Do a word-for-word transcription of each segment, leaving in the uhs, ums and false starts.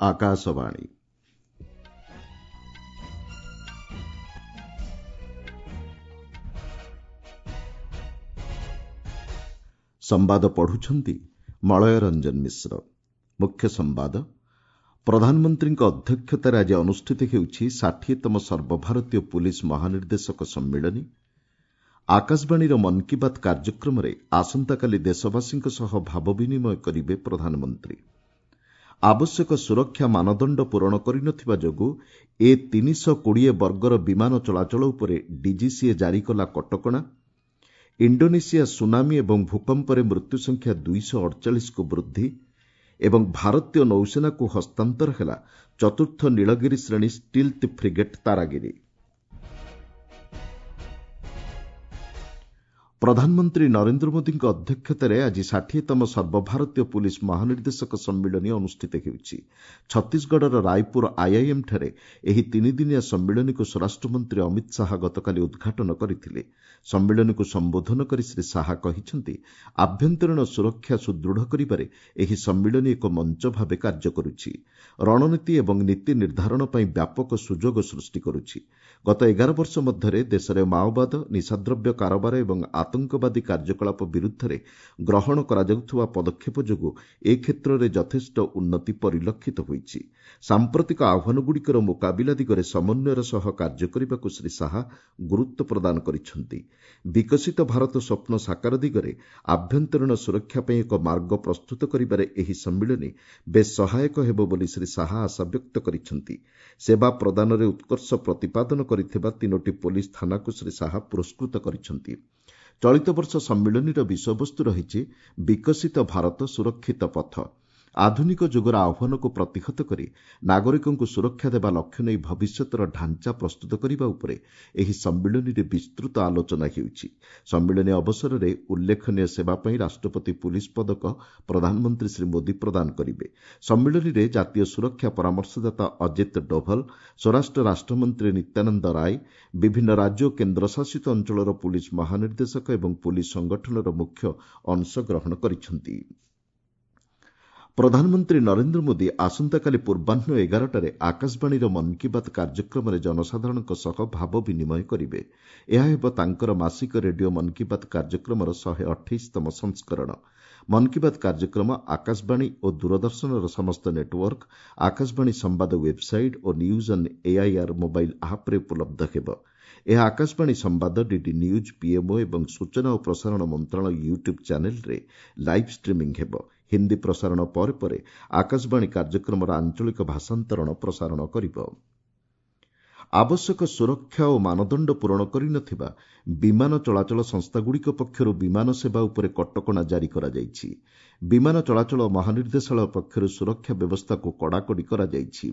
ଆକାଶବାଣୀ। ସମ୍ବାଦ ପଢୁଛନ୍ତି ମଳୟ ରଞ୍ଜନ ମିଶ୍ର। ମୁଖ୍ୟ ସମ୍ବାଦ, ପ୍ରଧାନମନ୍ତ୍ରୀଙ୍କ ଅଧ୍ୟକ୍ଷତାରେ ଆଜି ଅନୁଷ୍ଠିତ ହେଉଛି ଷାଠିଏତମ ସର୍ବଭାରତୀୟ ପୁଲିସ୍ ମହାନିର୍ଦ୍ଦେଶକ ସମ୍ମିଳନୀ। ଆକାଶବାଣୀର ମନ୍ କି ବାତ୍ କାର୍ଯ୍ୟକ୍ରମରେ ଆସନ୍ତାକାଲି ଦେଶବାସୀଙ୍କ ସହ ଭାବ ବିନିମୟ କରିବେ ପ୍ରଧାନମନ୍ତ୍ରୀ। ଆବଶ୍ୟକ ସୁରକ୍ଷା ମାନଦଣ୍ଡ ପୂରଣ କରିନଥିବା ଯୋଗୁଁ ଏ ତିନିଶହ କୋଡ଼ିଏ ବର୍ଗର ବିମାନ ଚଳାଚଳ ଉପରେ ଡିଜିସିଏ ଜାରି କଲା କଟକଣା। ଇଣ୍ଡୋନେସିଆ ସୁନାମି ଏବଂ ଭୂକମ୍ପରେ ମୃତ୍ୟୁ ସଂଖ୍ୟା ଦୁଇଶହ ଅଡ଼ଚାଳିଶକୁ ବୃଦ୍ଧି ଏବଂ ଭାରତୀୟ ନୌସେନାକୁ ହସ୍ତାନ୍ତର ହେଲା ଚତୁର୍ଥ ନୀଳଗିରି ଶ୍ରେଣୀ ଷ୍ଟିଲ୍ଥ ଫ୍ରିଗେଟ୍ ତାରାଗିରି। ପ୍ରଧାନମନ୍ତ୍ରୀ ନରେନ୍ଦ୍ର ମୋଦିଙ୍କ ଅଧ୍ୟକ୍ଷତାରେ ଆଜି ଷାଠିଏତମ ସର୍ବଭାରତୀୟ ପୁଲିସ୍ ମହାନିର୍ଦ୍ଦେଶକ ସମ୍ମିଳନୀ ଅନୁଷ୍ଠିତ ହେଉଛି। ଛତିଶଗଡ଼ର ରାୟପୁର ଆଇଆଇଏମ୍ଠାରେ ଏହି ତିନିଦିନିଆ ସମ୍ମିଳନୀକୁ ସ୍ୱରାଷ୍ଟ୍ରମନ୍ତ୍ରୀ ଅମିତ ଶାହା ଗତକାଲି ଉଦ୍ଘାଟନ କରିଥିଲେ। ସମ୍ମିଳନୀକୁ ସମ୍ବୋଧନ କରି ଶ୍ରୀ ଶାହା କହିଛନ୍ତି, ଆଭ୍ୟନ୍ତରୀଣ ସୁରକ୍ଷା ସୁଦୃଢ଼ କରିବାରେ ଏହି ସମ୍ମିଳନୀ ଏକ ମଞ୍ଚ ଭାବେ କାର୍ଯ୍ୟ କରୁଛି। ରଣନୀତି ଏବଂ ନୀତି ନିର୍ଦ୍ଧାରଣ ପାଇଁ ବ୍ୟାପକ ସୁଯୋଗ ସୃଷ୍ଟି କରୁଛି। ଗତ ଏଗାର ବର୍ଷ ମଧ୍ୟରେ ଦେଶରେ ମାଓବାଦ, ନିଶାଦ୍ରବ୍ୟ କାରବାର ଏବଂ ଆତଙ୍କବାଦୀ କାର୍ଯ୍ୟକଳାପ ବିରୁଦ୍ଧରେ ଗ୍ରହଣ କରାଯାଉଥିବା ପଦକ୍ଷେପ ଯୋଗୁଁ ଏ କ୍ଷେତ୍ରରେ ଯଥେଷ୍ଟ ଉନ୍ନତି ପରିଲକ୍ଷିତ ହୋଇଛି। ସାମ୍ପ୍ରତିକ ଆହ୍ୱାନଗୁଡ଼ିକର ମୁକାବିଲା ଦିଗରେ ସମନ୍ୱୟର ସହ କାର୍ଯ୍ୟ କରିବାକୁ ଶ୍ରୀ ଶାହା ଗୁରୁତ୍ୱ ପ୍ରଦାନ କରିଛନ୍ତି। ବିକଶିତ ଭାରତ ସ୍ୱପ୍ନ ସାକାର ଦିଗରେ ଆଭ୍ୟନ୍ତରୀଣ ସୁରକ୍ଷା ପାଇଁ ଏକ ମାର୍ଗ ପ୍ରସ୍ତୁତ କରିବାରେ ଏହି ସମ୍ମିଳନୀ ବେଶ୍ ସହାୟକ ହେବ ବୋଲି ଶ୍ରୀ ଶାହା ଆଶାବ୍ୟକ୍ତ କରିଛନ୍ତି। ସେବା ପ୍ରଦାନରେ ଉତ୍କର୍ଷ ପ୍ରତିପାଦନ କରିଥିବା ତିନୋଟି ପୋଲିସ ଥାନାକୁ ଶ୍ରୀ ଶାହା ପୁରସ୍କୃତ କରିଛନ୍ତି। ଚଳିତ ବର୍ଷ ସମ୍ମିଳନୀର ବିଷୟବସ୍ତୁ ରହିଛି ବିକଶିତ ଭାରତ ସୁରକ୍ଷିତ ପଥ। ଆଧୁନିକ ଯୁଗର ଆହ୍ୱାନକୁ ପ୍ରତିହତ କରି ନାଗରିକଙ୍କୁ ସୁରକ୍ଷା ଦେବା ଲକ୍ଷ୍ୟ ନେଇ ଭବିଷ୍ୟତର ଢାଞ୍ଚା ପ୍ରସ୍ତୁତ କରିବା ଉପରେ ଏହି ସମ୍ମିଳନୀରେ ବିସ୍ତୃତ ଆଲୋଚନା ହେଉଛି। ସମ୍ମିଳନୀ ଅବସରରେ ଉଲ୍ଲେଖନୀୟ ସେବା ପାଇଁ ରାଷ୍ଟ୍ରପତି ପୁଲିସ୍ ପଦକ ପ୍ରଧାନମନ୍ତ୍ରୀ ଶ୍ରୀ ମୋଦି ପ୍ରଦାନ କରିବେ। ସମ୍ମିଳନୀରେ ଜାତୀୟ ସୁରକ୍ଷା ପରାମର୍ଶଦାତା ଅଜିତ ଡୋଭଲ, ସ୍ୱରାଷ୍ଟ୍ର ରାଷ୍ଟ୍ରମନ୍ତ୍ରୀ ନିତ୍ୟାନନ୍ଦ ରାୟ, ବିଭିନ୍ନ ରାଜ୍ୟ ଓ କେନ୍ଦ୍ରଶାସିତ ଅଞ୍ଚଳର ପୁଲିସ୍ ମହାନିର୍ଦ୍ଦେଶକ ଏବଂ ପୁଲିସ୍ ସଂଗଠନର ମୁଖ୍ୟ ଅଂଶଗ୍ରହଣ କରିଛନ୍ତି। ପ୍ରଧାନମନ୍ତ୍ରୀ ନରେନ୍ଦ୍ର ମୋଦି ଆସନ୍ତାକାଲି ପୂର୍ବାହ୍ନ ଏଗାରଟାରେ ଆକାଶବାଣୀର ମନ୍ କି ବାତ୍ କାର୍ଯ୍ୟକ୍ରମରେ ଜନସାଧାରଣଙ୍କ ସହ ଭାବ ବିନିମୟ କରିବେ। ଏହା ହେବ ତାଙ୍କର ମାସିକ ରେଡିଓ ମନ୍ କି ବାତ୍ କାର୍ଯ୍ୟକ୍ରମର ଶହେ ଅଠେଇଶତମ ସଂସ୍କରଣ। ମନ୍ କି ବାତ୍ କାର୍ଯ୍ୟକ୍ରମ ଆକାଶବାଣୀ ଓ ଦୂରଦର୍ଶନର ସମସ୍ତ ନେଟୱାର୍କ, ଆକାଶବାଣୀ ସମ୍ବାଦ website O news on AIR mobile ଆପ୍ରେ ଉପଲବ୍ଧ ହେବ। ଏହା ଆକାଶବାଣୀ ସମ୍ବାଦ, ଡିଡି ନ୍ୟୁଜ୍, ପିଏମ୍ଓ ଏବଂ ସୂଚନା ଓ ପ୍ରସାରଣ ମନ୍ତ୍ରଣାଳୟ ୟୁଟ୍ୟୁବ୍ ଚ୍ୟାନେଲ୍ରେ ଲାଇଭ୍ ଷ୍ଟ୍ରିମିଂ ହେବ। ହିନ୍ଦୀ ପ୍ରସାରଣ ପରେ ପରେ ଆକାଶବାଣୀ କାର୍ଯ୍ୟକ୍ରମର ଆଞ୍ଚଳିକ ଭାଷାନ୍ତରଣ ପ୍ରସାରଣ କରିବ। ଆବଶ୍ୟକ ସୁରକ୍ଷା ଓ ମାନଦଣ୍ଡ ପୂରଣ କରିନଥିବା ବିମାନ ଚଳାଚଳ ସଂସ୍ଥାଗୁଡ଼ିକ ପକ୍ଷରୁ ବିମାନ ସେବା ଉପରେ କଟକଣା ଜାରି କରାଯାଇଛି। ବିମାନ ଚଳାଚଳ ମହାନିର୍ଦ୍ଦେଶାଳୟ ପକ୍ଷରୁ ସୁରକ୍ଷା ବ୍ୟବସ୍ଥାକୁ କଡ଼ାକଡ଼ି କରାଯାଇଛି।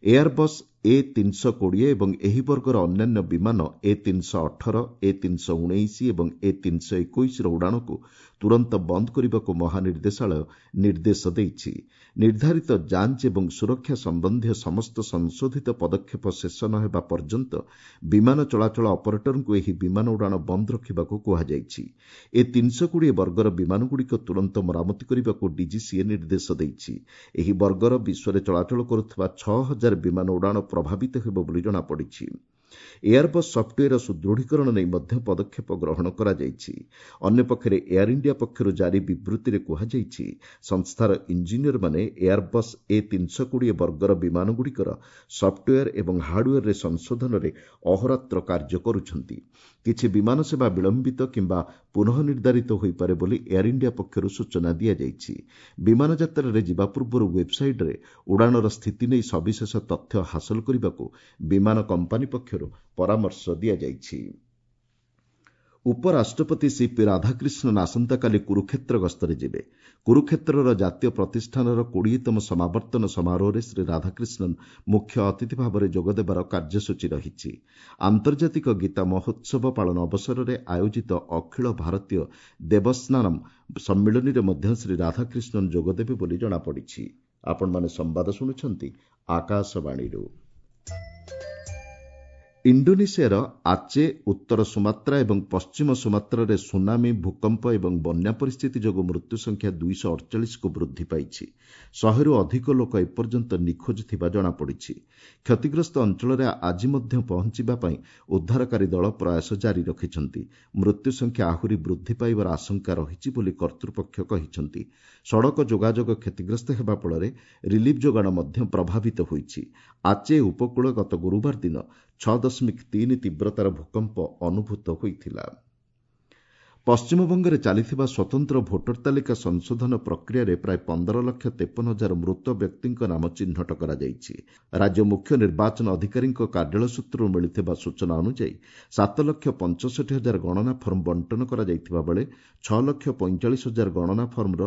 ଏୟାରବସ୍ ଏ ତିନିଶହ କୋଡ଼ିଏ ଏବଂ ଏହି ବର୍ଗର ଅନ୍ୟାନ୍ୟ ବିମାନ ଏ ତିନିଶହ ଅଠର, ଏ ତିନିଶହ ଉଣେଇଶ ଏବଂ ଏ ତିନିଶହ ଏକୋଇଶର ଉଡ଼ାଣକୁ ତୁରନ୍ତ ବନ୍ଦ କରିବାକୁ ମହାନିର୍ଦ୍ଦେଶାଳୟ ନିର୍ଦ୍ଦେଶ ଦେଇଛି। ନିର୍ଦ୍ଧାରିତ ଯାଞ୍ଚ ଏବଂ ସୁରକ୍ଷା ସମ୍ବନ୍ଧୀୟ ସମସ୍ତ ସଂଶୋଧିତ ପଦକ୍ଷେପ ଶେଷ ନ ହେବା ପର୍ଯ୍ୟନ୍ତ ବିମାନ ଚଳାଚଳ ଅପରେଟରଙ୍କୁ ଏହି ବିମାନ ଉଡ଼ାଣ ବନ୍ଦ ରଖିବାକୁ କୁହାଯାଇଛି। ଏ ତିନିଶହ କୋଡ଼ିଏ ବର୍ଗର ବିମାନଗୁଡ଼ିକ ତୁରନ୍ତ ମରାମତି କରିବାକୁ ଡିଜିସିଏ ନିର୍ଦ୍ଦେଶ ଦେଇଛି। ଏହି ବର୍ଗର ବିଶ୍ୱରେ ଚଳାଚଳ କରୁଥିବା ଛଅ ହଜାର ବିମାନ ଉଡ଼ାଣ ପ୍ରଭାବିତ ହେବ ବୋଲି ଜଣାପଡ଼ିଛି। ଏୟାରବସ୍ ସଫ୍ଟୱେୟାର ସୁଦୃଢ଼ୀକରଣ ନେଇ ମଧ୍ୟ ପଦକ୍ଷେପ ଗ୍ରହଣ କରାଯାଇଛି। ଅନ୍ୟପକ୍ଷରେ ଏୟାର ଇଣ୍ଡିଆ ପକ୍ଷରୁ ଜାରି ବିବୃତ୍ତିରେ କୁହାଯାଇଛି, ସଂସ୍ଥାର ଇଞ୍ଜିନିୟରମାନେ ଏୟାରବସ୍ ଏ ତିନିଶହ କୋଡ଼ିଏ ବର୍ଗର ବିମାନଗୁଡ଼ିକର ସଫ୍ଟୱେୟାର ଏବଂ ହାର୍ଡୱେୟାରରେ ସଂଶୋଧନରେ ଅହୋରାତ୍ର କାର୍ଯ୍ୟ କରୁଛନ୍ତି। କିଛି ବିମାନ ସେବା ବିଳମ୍ବିତ କିମ୍ବା ପୁନଃ ନିର୍ଦ୍ଧାରିତ ହୋଇପାରେ ବୋଲି ଏୟାର ଇଣ୍ଡିଆ ପକ୍ଷରୁ ସୂଚନା ଦିଆଯାଇଛି। ବିମାନ ଯାତ୍ରାରେ ଯିବା ପୂର୍ବରୁ ୱେବ୍ସାଇଟ୍ରେ ଉଡ଼ାଣର ସ୍ଥିତି ନେଇ ସବିଶେଷ ତଥ୍ୟ ହାସଲ କରିବାକୁ ବିମାନ କମ୍ପାନୀ ପକ୍ଷରୁ ପରାମର୍ଶ ଦିଆଯାଇଛି। ଉପରାଷ୍ଟ୍ରପତି ସିପି ରାଧାକ୍ରିଷ୍ଣନ୍ ଆସନ୍ତାକାଲି କୁରୁକ୍ଷେତ୍ର ଗସ୍ତରେ ଯିବେ। କୁରୁକ୍ଷେତ୍ରର ଜାତୀୟ ପ୍ରତିଷ୍ଠାନର କୋଡ଼ିଏତମ ସମାବର୍ତ୍ତନ ସମାରୋହରେ ଶ୍ରୀ ରାଧାକ୍ରିଷ୍ଣନ୍ ମୁଖ୍ୟ ଅତିଥି ଭାବରେ ଯୋଗଦେବାର କାର୍ଯ୍ୟସୂଚୀ ରହିଛି। ଆନ୍ତର୍ଜାତିକ ଗୀତା ମହୋତ୍ସବ ପାଳନ ଅବସରରେ ଆୟୋଜିତ ଅଖିଳ ଭାରତୀୟ ଦେବସ୍ନାନମ୍ ସମ୍ମିଳନୀରେ ମଧ୍ୟ ଶ୍ରୀ ରାଧାକ୍ରିଷ୍ଣନ୍ ଯୋଗଦେବେ ବୋଲି ଜଣାପଡ଼ିଛି। ଆପଣମାନେ ସମ୍ବାଦ ଶୁଣୁଛନ୍ତି ଆକାଶବାଣୀରୁ। ଇଣ୍ଡୋନେସିଆର ଆଚେ, ଉତ୍ତର ସୁମାତ୍ରା ଏବଂ ପଶ୍ଚିମ ସୁମାତ୍ରାରେ ସୁନାମି, ଭୂକମ୍ପ ଏବଂ ବନ୍ୟା ପରିସ୍ଥିତି ଯୋଗୁଁ ମୃତ୍ୟୁ ସଂଖ୍ୟା ଦୁଇଶହ ଅଠଚାଳିଶକୁ ବୃଦ୍ଧି ପାଇଛି। ଶହେରୁ ଅଧିକ ଲୋକ ଏପର୍ଯ୍ୟନ୍ତ ନିଖୋଜ ଥିବା ଜଣାପଡ଼ିଛି। କ୍ଷତିଗ୍ରସ୍ତ ଅଞ୍ଚଳରେ ଆଜି ମଧ୍ୟ ପହଞ୍ଚିବା ପାଇଁ ଉଦ୍ଧାରକାରୀ ଦଳ ପ୍ରୟାସ ଜାରି ରଖିଛନ୍ତି। ମୃତ୍ୟୁ ସଂଖ୍ୟା ଆହୁରି ବୃଦ୍ଧି ପାଇବାର ଆଶଙ୍କା ରହିଛି ବୋଲି କର୍ତ୍ତୃପକ୍ଷ କହିଛନ୍ତି। ସଡ଼କ ଯୋଗାଯୋଗ କ୍ଷତିଗ୍ରସ୍ତ ହେବା ଫଳରେ ରିଲିଫ୍ ଯୋଗାଣ ମଧ୍ୟ ପ୍ରଭାବିତ ହୋଇଛି। ଆଚେ ଉପକୂଳ ଗତ ଗୁରୁବାର ଦିନ ଛଅ ଦଶମିକ ତିନି ତୀବ୍ରତାର ଭୂକମ୍ପ ଅନୁଭୂତ ହୋଇଥିଲା। ପଶ୍ଚିମବଙ୍ଗରେ ଚାଲିଥିବା ସ୍ୱତନ୍ତ୍ର ଭୋଟର ତାଲିକା ସଂଶୋଧନ ପ୍ରକ୍ରିୟାରେ ପ୍ରାୟ ପନ୍ଦର ଲକ୍ଷ ତେପନ ହଜାର ମୃତ ବ୍ୟକ୍ତିଙ୍କ ନାମ ଚିହ୍ନଟ କରାଯାଇଛି। ରାଜ୍ୟ ମୁଖ୍ୟ ନିର୍ବାଚନ ଅଧିକାରୀଙ୍କ କାର୍ଯ୍ୟାଳୟ ସୂତ୍ରରୁ ମିଳିଥିବା ସୂଚନା ଅନୁଯାୟୀ ସାତ ଲକ୍ଷ ପଞ୍ଚଷଠି ହଜାର ଗଣନା ଫର୍ମ ବଣ୍ଟନ କରାଯାଇଥିବା ବେଳେ ଛଅ ଲକ୍ଷ ପଇଁଚାଳିଶ ହଜାର ଗଣନା ଫର୍ମର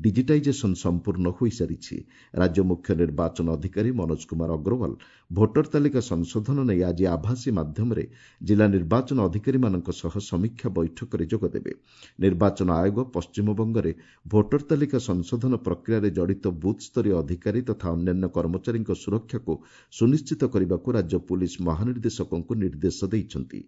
ଡିଜିଟାଇଜେସନ ସମ୍ପୂର୍ଣ୍ଣ ହୋଇସାରିଛି। ରାଜ୍ୟ ମୁଖ୍ୟ ନିର୍ବାଚନ ଅଧିକାରୀ ମନୋଜ କୁମାର ଅଗ୍ରୱାଲ ଭୋଟର ତାଲିକା ସଂଶୋଧନ ନେଇ ଆଜି ଆଭାସୀ ମାଧ୍ୟମରେ ଜିଲ୍ଲା ନିର୍ବାଚନ ଅଧିକାରୀମାନଙ୍କ ସହ ସମୀକ୍ଷା ବୈଠକରେ ଯୋଗ ଦେବେ। ନିର୍ବାଚନ ଆୟୋଗ ପଶ୍ଚିମବଙ୍ଗରେ ଭୋଟର ତାଲିକା ସଂଶୋଧନ ପ୍ରକ୍ରିୟାରେ ଜଡ଼ିତ ବୁଥ୍ ସ୍ତରୀୟ ଅଧିକାରୀ ତଥା ଅନ୍ୟାନ୍ୟ କର୍ମଚାରୀଙ୍କ ସୁରକ୍ଷାକୁ ସୁନିଶ୍ଚିତ କରିବାକୁ ରାଜ୍ୟ ପୁଲିସ୍ ମହାନିର୍ଦ୍ଦେଶକଙ୍କୁ ନିର୍ଦ୍ଦେଶ ଦେଇଛନ୍ତି।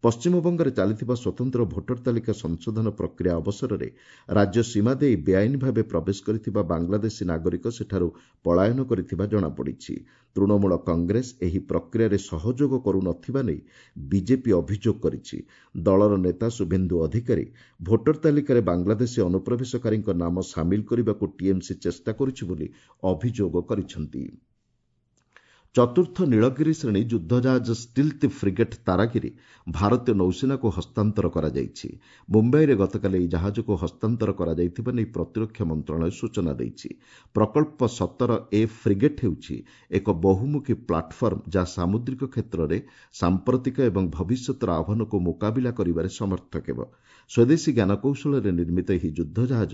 ପଶ୍ଚିମବଙ୍ଗରେ ଚାଲିଥିବା ସ୍ୱତନ୍ତ୍ର ଭୋଟର ତାଲିକା ସଂଶୋଧନ ପ୍ରକ୍ରିୟା ଅବସରରେ ରାଜ୍ୟ ସୀମା ଦେଇ ବେଆଇନ ଭାବେ ପ୍ରବେଶ କରିଥିବା ବାଂଲାଦେଶୀ ନାଗରିକ ସେଠାରୁ ପଳାୟନ କରିଥିବା ଜଣାପଡ଼ିଛି। ତୃଣମୂଳ କଂଗ୍ରେସ ଏହି ପ୍ରକ୍ରିୟାରେ ସହଯୋଗ କରୁନଥିବା ନେଇ ବିଜେପି ଅଭିଯୋଗ କରିଛି। ଦଳର ନେତା ଶୁଭେନ୍ଦୁ ଅଧିକାରୀ ଭୋଟର ତାଲିକାରେ ବାଂଲାଦେଶୀ ଅନୁପ୍ରବେଶକାରୀଙ୍କ ନାମ ସାମିଲ କରିବାକୁ ଟିଏମ୍ସି ଚେଷ୍ଟା କରୁଛି ବୋଲି ଅଭିଯୋଗ କରିଛନ୍ତି। ଚତୁର୍ଥ ନୀଳଗିରି ଶ୍ରେଣୀ ଯୁଦ୍ଧଜାହାଜ ଷ୍ଟିଲ୍ଥ ଫ୍ରିଗେଟ୍ ତାରାଗିରି ଭାରତୀୟ ନୌସେନାକୁ ହସ୍ତାନ୍ତର କରାଯାଇଛି। ମୁମ୍ବାଇରେ ଗତକାଲି ଏହି ଜାହାଜକୁ ହସ୍ତାନ୍ତର କରାଯାଇଥିବା ନେଇ ପ୍ରତିରକ୍ଷା ମନ୍ତ୍ରଣାଳୟ ସୂଚନା ଦେଇଛି। ପ୍ରକଳ୍ପ ସତର ଏ ଫ୍ରିଗେଟ୍ ହେଉଛି ଏକ ବହୁମୁଖୀ ପ୍ଲାଟଫର୍ମ, ଯାହା ସାମୁଦ୍ରିକ କ୍ଷେତ୍ରରେ ସାମ୍ପ୍ରତିକ ଏବଂ ଭବିଷ୍ୟତର ଆହ୍ୱାନକୁ ମୁକାବିଲା କରିବାରେ ସମର୍ଥ ହେବ। ସ୍ୱଦେଶୀ ଜ୍ଞାନକୌଶଳରେ ନିର୍ମିତ ଏହି ଯୁଦ୍ଧଜାହାଜ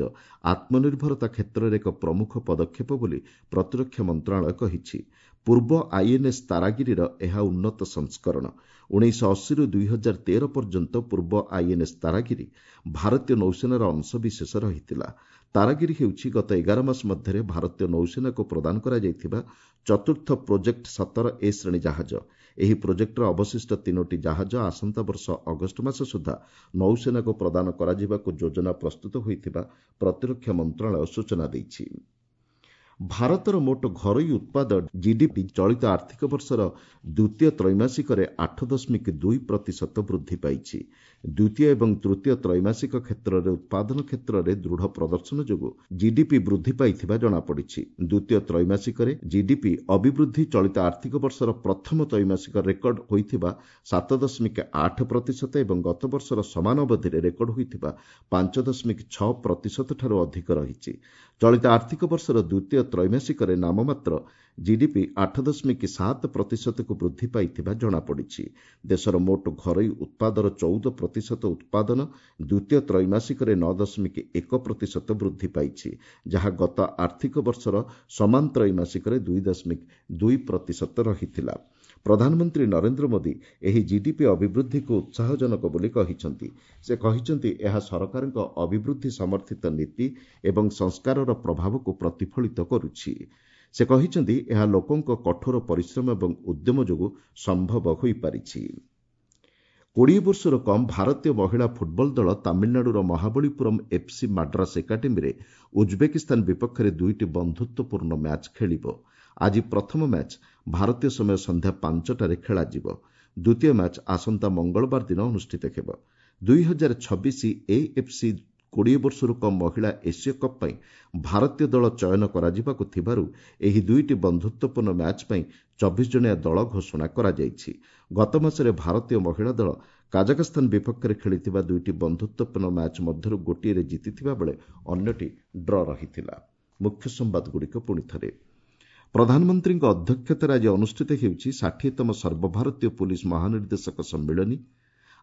ଆତ୍ମନିର୍ଭରତା କ୍ଷେତ୍ରରେ ଏକ ପ୍ରମୁଖ ପଦକ୍ଷେପ ବୋଲି ପ୍ରତିରକ୍ଷା ମନ୍ତ୍ରଣାଳୟ କହିଛି। ପୂର୍ବ ଆଇଏନ୍ଏସ୍ ତାରାଗିରିର ଏହା ଉନ୍ନତ ସଂସ୍କରଣ। ଉଣେଇଶହ ଅଶୀରୁ ଦୁଇ ହଜାର ତେର ପର୍ଯ୍ୟନ୍ତ ପୂର୍ବ ଆଇଏନ୍ଏସ୍ ତାରାଗିରି ଭାରତୀୟ ନୌସେନାର ଅଂଶବିଶେଷ ରହିଥିଲା। ତାରାଗିରି ହେଉଛି ଗତ ଏଗାର ମାସ ମଧ୍ୟରେ ଭାରତୀୟ ନୌସେନାକୁ ପ୍ରଦାନ କରାଯାଇଥିବା ଚତୁର୍ଥ ପ୍ରୋଜେକ୍ଟ ସତର ଏ ଶ୍ରେଣୀ ଜାହାଜ। ଏହି ପ୍ରୋଜେକ୍ଟର ଅବଶିଷ୍ଟ ତିନୋଟି ଜାହାଜ ଆସନ୍ତା ବର୍ଷ ଅଗଷ୍ଟ ମାସ ସୁଦ୍ଧା ନୌସେନାକୁ ପ୍ରଦାନ କରାଯିବାକୁ ଯୋଜନା ପ୍ରସ୍ତୁତ ହୋଇଥିବା ପ୍ରତିରକ୍ଷା ମନ୍ତ୍ରଣାଳୟ ସୂଚନା ଦେଇଛି। ଭାରତର ମୋଟ ଘରୋଇ ଉତ୍ପାଦ ଜିଡିପି ଚଳିତ ଆର୍ଥିକ ବର୍ଷର ଦ୍ୱିତୀୟ ତ୍ରୈମାସିକରେ ଆଠ ଦଶମିକ ଦୁଇ ପ୍ରତିଶତ ବୃଦ୍ଧି ପାଇଛି। ଦ୍ୱିତୀୟ ଏବଂ ତୃତୀୟ ତ୍ରୈମାସିକ କ୍ଷେତ୍ରରେ ଉତ୍ପାଦନ କ୍ଷେତ୍ରରେ ଦୃଢ଼ ପ୍ରଦର୍ଶନ ଯୋଗୁଁ ଜିଡିପି ବୃଦ୍ଧି ପାଇଥିବା ଜଣାପଡ଼ିଛି। ଦ୍ୱିତୀୟ ତ୍ରୈମାସିକରେ ଜିଡିପି ଅଭିବୃଦ୍ଧି ଚଳିତ ଆର୍ଥିକ ବର୍ଷର ପ୍ରଥମ ତ୍ରୈମାସିକ ରେକର୍ଡ ହୋଇଥିବା ସାତ ଦଶମିକ ଆଠ ପ୍ରତିଶତ ଏବଂ ଗତ ବର୍ଷର ସମାନ ଅବଧିରେ ରେକର୍ଡ ହୋଇଥିବା ପାଞ୍ଚ ଦଶମିକ ଛଅ ପ୍ରତିଶତଠାରୁ ଅଧିକ ରହିଛି। ଚଳିତ ଆର୍ଥିକ ବର୍ଷର ଦ୍ୱିତୀୟ ତ୍ରୈମାସିକରେ ନାମମାତ୍ର ଜିଡିପି ଆଠ ଦଶମିକ ସାତ ପ୍ରତିଶତକୁ ବୃଦ୍ଧି ପାଇଥିବା ଜଣାପଡ଼ିଛି। ଦେଶର ମୋଟ ଘରୋଇ ଉତ୍ପାଦର ଚଉଦ ପ୍ରତିଶତ ଉତ୍ପାଦନ ଦ୍ୱିତୀୟ ତ୍ରୈମାସିକରେ ନଅ ଦଶମିକ ଏକ ପ୍ରତିଶତ ବୃଦ୍ଧି ପାଇଛି, ଯାହା ଗତ ଆର୍ଥିକ ବର୍ଷର ସମାନ ତ୍ରୈମାସିକରେ ଦୁଇ ଦଶମିକ ଦୁଇ ପ୍ରତିଶତ ରହିଥିଲା। ପ୍ରଧାନମନ୍ତ୍ରୀ ନରେନ୍ଦ୍ର ମୋଦି ଏହି ଜିଡିପି ଅଭିବୃଦ୍ଧିକୁ ଉତ୍ସାହଜନକ ବୋଲି କହିଛନ୍ତି। ସେ କହିଛନ୍ତି, ଏହା ସରକାରଙ୍କ ଅଭିବୃଦ୍ଧି ସମର୍ଥିତ ନୀତି ଏବଂ ସଂସ୍କାରର ପ୍ରଭାବକୁ ପ୍ରତିଫଳିତ କରୁଛି। ସେ କହିଛନ୍ତି, ଏହା ଲୋକଙ୍କ କଠୋର ପରିଶ୍ରମ ଏବଂ ଉଦ୍ୟମ ଯୋଗୁଁ ସମ୍ଭବ ହୋଇପାରିଛି। କୋଡ଼ିଏ ବର୍ଷରୁ କମ୍ ଭାରତୀୟ ମହିଳା ଫୁଟବଲ ଦଳ ତାମିଲନାଡୁର ମହାବଳୀପୁରମ୍ ଏଫ୍ସି ମାଡ୍ରାସ ଏକାଡେମୀରେ ଉଜ୍ବେକିସ୍ତାନ ବିପକ୍ଷରେ ଦୁଇଟି ବନ୍ଧୁତ୍ୱପୂର୍ଣ୍ଣ ମ୍ୟାଚ୍ ଖେଳିବ। ଆଜି ପ୍ରଥମ ମ୍ୟାଚ୍ ଭାରତୀୟ ସମୟ ସନ୍ଧ୍ୟା ପାଞ୍ଚଟାରେ ଖେଳାଯିବ। ଦ୍ୱିତୀୟ ମ୍ୟାଚ୍ ଆସନ୍ତା ମଙ୍ଗଳବାର ଦିନ ଅନୁଷ୍ଠିତ ହେବ। ଦୁଇ ହଜାର ଛବିଶ ଏଏଫ୍ସି କୋଡ଼ିଏ ବର୍ଷରୁ କମ୍ ମହିଳା ଏସୀୟ କପ୍ ପାଇଁ ଭାରତୀୟ ଦଳ ଚୟନ କରାଯିବାକୁ ଥିବାରୁ ଏହି ଦୁଇଟି ବନ୍ଧୁତ୍ୱପୂର୍ଣ୍ଣ ମ୍ୟାଚ୍ ପାଇଁ ଚବିଶ ଜଣିଆ ଦଳ ଘୋଷଣା କରାଯାଇଛି। ଗତ ମାସରେ ଭାରତୀୟ ମହିଳା ଦଳ କାଜାଖସ୍ତାନ ବିପକ୍ଷରେ ଖେଳିଥିବା ଦୁଇଟି ବନ୍ଧୁତ୍ୱପୂର୍ଣ୍ଣ ମ୍ୟାଚ୍ ମଧ୍ୟରୁ ଗୋଟିଏରେ ଜିତିଥିବା ବେଳେ ଅନ୍ୟଟି ଡ୍ର ରହିଥିଲା। ମୁଖ୍ୟ ସମ୍ବାଦଗୁଡ଼ିକ ପୁଣି ଥରେ। ପ୍ରଧାନମନ୍ତ୍ରୀଙ୍କ ଅଧ୍ୟକ୍ଷତାରେ ଆଜି ଅନୁଷ୍ଠିତ ହେଉଛି ଷାଠିଏତମ ସର୍ବଭାରତୀୟ ପୁଲିସ୍ ମହାନିର୍ଦ୍ଦେଶକ ସମ୍ମିଳନୀ।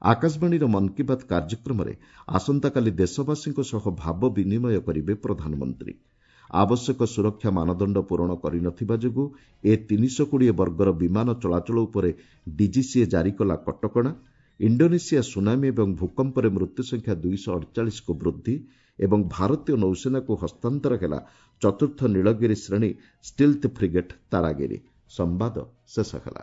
ଆକାଶବାଣୀର ମନ୍ କି ବାତ୍ କାର୍ଯ୍ୟକ୍ରମରେ ଆସନ୍ତାକାଲି ଦେଶବାସୀଙ୍କ ସହ ଭାବ ବିନିମୟ କରିବେ ପ୍ରଧାନମନ୍ତ୍ରୀ। ଆବଶ୍ୟକ ସୁରକ୍ଷା ମାନଦଣ୍ଡ ପୂରଣ କରିନଥିବା ଯୋଗୁଁ ଏ ତିନିଶହ କୋଡ଼ିଏ ବର୍ଗର ବିମାନ ଚଳାଚଳ ଉପରେ ଡିଜିସିଏ ଜାରି କଲା କଟକଣା। ଇଣ୍ଡୋନେସିଆ ସୁନାମି ଏବଂ ଭୂକମ୍ପରେ ମୃତ୍ୟୁ ସଂଖ୍ୟା ଦୁଇଶହ ଅଡ଼ଚାଳିଶକୁ ବୃଦ୍ଧି ଏବଂ ଭାରତୀୟ ନୌସେନାକୁ ହସ୍ତାନ୍ତର ହେଲା ଚତୁର୍ଥ ନୀଳଗିରି ଶ୍ରେଣୀ ଷ୍ଟିଲ୍ଥ ଫ୍ରିଗେଟ୍ ତାରାଗିରି। ସମ୍ବାଦ ଶେଷ ହେଲା।